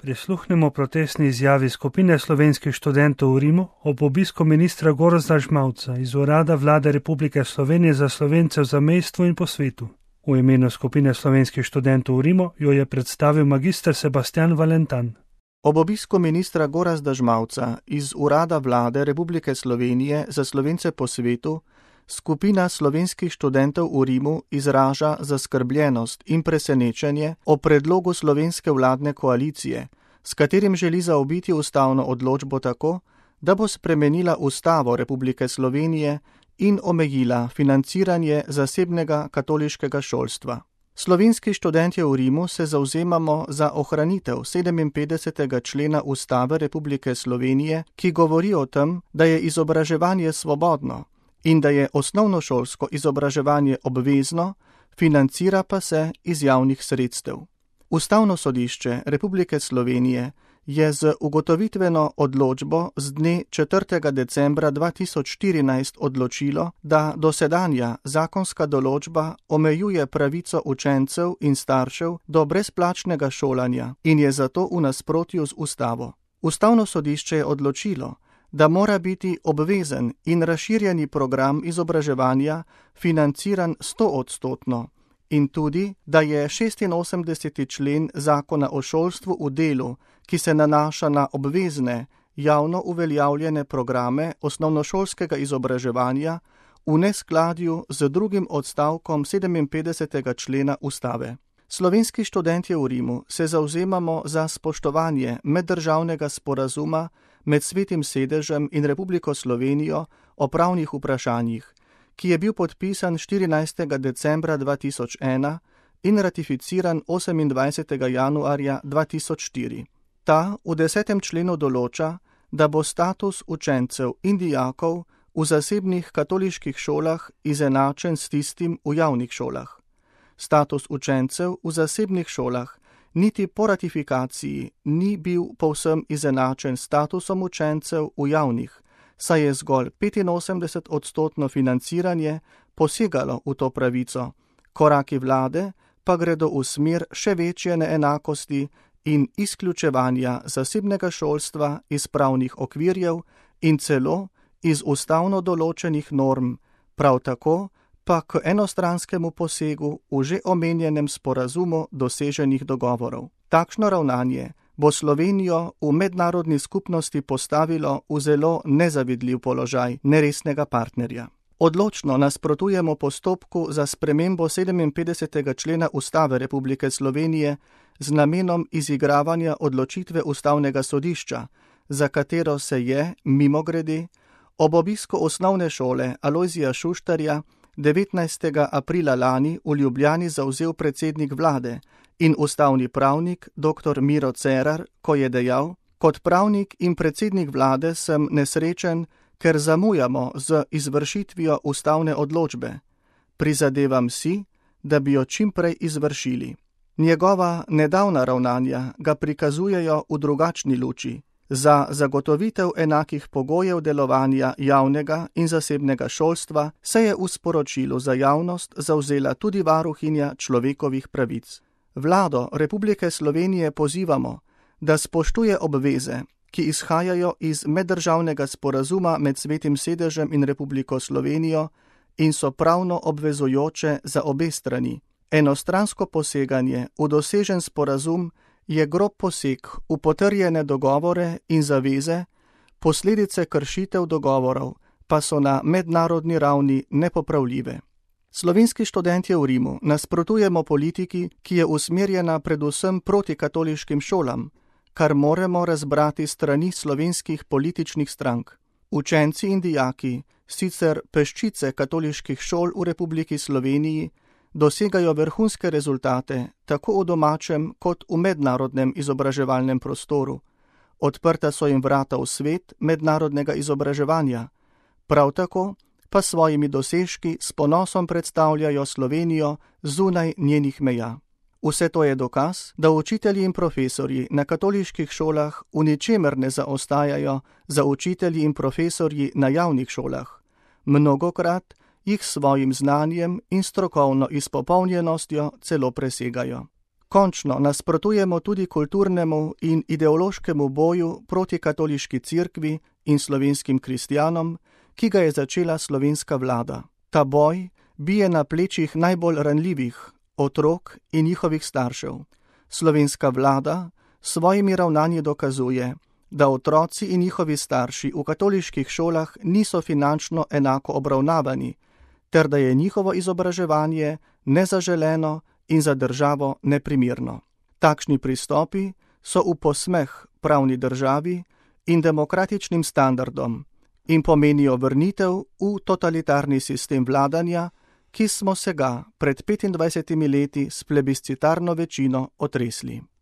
Prisluhnemo protestni izjavi skupine slovenskih študentov v Rimu ob obisku ministra Gorazda Žmavca iz Urada Vlade Republike Slovenije za Slovence v zamejstvu in po svetu. V imenu skupine slovenskih študentov v Rimu jo je predstavil magister Sebastian Valentan. Ob obisku ministra Gorazda Žmavca iz Urada Vlade Republike Slovenije za Slovence po svetu skupina slovenskih študentov v Rimu izraža zaskrbljenost in presenečenje o predlogu slovenske vladne koalicije, s katerim želi zaobiti ustavno odločbo tako, da bo spremenila Ustavo Republike Slovenije in omejila financiranje zasebnega katoliškega šolstva. Slovenski študentje v Rimu se zavzemamo za ohranitev 57. člena Ustave Republike Slovenije, ki govori o tem, da je izobraževanje svobodno in da je osnovnošolsko izobraževanje obvezno, financira pa se iz javnih sredstev. Ustavno sodišče Republike Slovenije je z ugotovitveno odločbo z dne 4. decembra 2014 odločilo, da dosedanja zakonska določba omejuje pravico učencev in staršev do brezplačnega šolanja in je zato v nasprotju z ustavo. Ustavno sodišče je odločilo, da mora biti obvezen in razširjeni program izobraževanja financiran 100-odstotno in tudi, da je 86. člen Zakona o šolstvu v delu, ki se nanaša na obvezne, javno uveljavljene programe osnovnošolskega izobraževanja, v neskladju z drugim odstavkom 57. člena Ustave. Slovenski študentje v Rimu se zavzemamo za spoštovanje meddržavnega sporazuma med Svetim sedežem in Republiko Slovenijo o pravnih vprašanjih, ki je bil podpisan 14. decembra 2001 in ratificiran 28. januarja 2004. Ta v 10. členu določa, da bo status učencev in dijakov v zasebnih katoliških šolah izenačen s tistim v javnih šolah. Status učencev v zasebnih šolah niti po ratifikaciji ni bil povsem izenačen s statusom učencev v javnih, saj je zgolj 85-odstotno financiranje posegalo v to pravico, koraki vlade pa gredo v smer še večje neenakosti in izključevanja zasebnega šolstva iz pravnih okvirjev in celo iz ustavno določenih norm, prav tako pa k enostranskemu posegu v že omenjenem sporazumu doseženih dogovorov. Takšno ravnanje bo Slovenijo v mednarodni skupnosti postavilo v zelo nezavidljiv položaj neresnega partnerja. Odločno nasprotujemo postopku za spremembo 57. člena Ustave Republike Slovenije z namenom izigravanja odločitve Ustavnega sodišča, za katero se je, mimogrede, ob obisku osnovne šole Alojzija Šuštarja 19. aprila lani v Ljubljani zavzel predsednik vlade in ustavni pravnik dr. Miro Cerar, ko je dejal: "Kot pravnik in predsednik vlade sem nesrečen, ker zamujamo z izvršitvijo ustavne odločbe. Prizadevam si, da bi jo čim prej izvršili." Njegova nedavna ravnanja ga prikazujejo v drugačni luči. Za zagotovitev enakih pogojev delovanja javnega in zasebnega šolstva se je v sporočilu za javnost zavzela tudi varuhinja človekovih pravic. Vlado Republike Slovenije pozivamo, da spoštuje obveze, ki izhajajo iz meddržavnega sporazuma med Svetim sedežem in Republiko Slovenijo in so pravno obvezujoče za obe strani. Enostransko poseganje v dosežen sporazum je grob poseg v potrjene dogovore in zaveze, posledice kršitev dogovorov pa so na mednarodni ravni nepopravljive. Slovenski študentje v Rimu nasprotujemo politiki, ki je usmerjena predvsem proti katoliškim šolam, kar moramo razbrati strani slovenskih političnih strank. Učenci in dijaki, sicer peščice katoliških šol v Republiki Sloveniji, dosegajo vrhunske rezultate tako v domačem kot v mednarodnem izobraževalnem prostoru. Odprta so jim vrata v svet mednarodnega izobraževanja. Prav tako pa svojimi dosežki s ponosom predstavljajo Slovenijo zunaj njenih meja. Vse to je dokaz, da učitelji in profesorji na katoliških šolah v ničemer ne zaostajajo za učitelji in profesorji na javnih šolah. Mnogokrat jih svojim znanjem in strokovno izpopolnjenostjo celo presegajo. Končno nasprotujemo tudi kulturnemu in ideološkemu boju proti katoliški cerkvi in slovenskim kristjanom, ki ga je začela slovenska vlada. Ta boj bije na plečih najbolj ranljivih, otrok in njihovih staršev. Slovenska vlada s svojimi ravnanji dokazuje, da otroci in njihovi starši v katoliških šolah niso finančno enako obravnavani, ter da je njihovo izobraževanje nezaželeno in za državo neprimerno. Takšni pristopi so v posmeh pravni državi in demokratičnim standardom in pomenijo vrnitev v totalitarni sistem vladanja, ki smo se ga pred 25 leti s plebiscitarno večino otresli.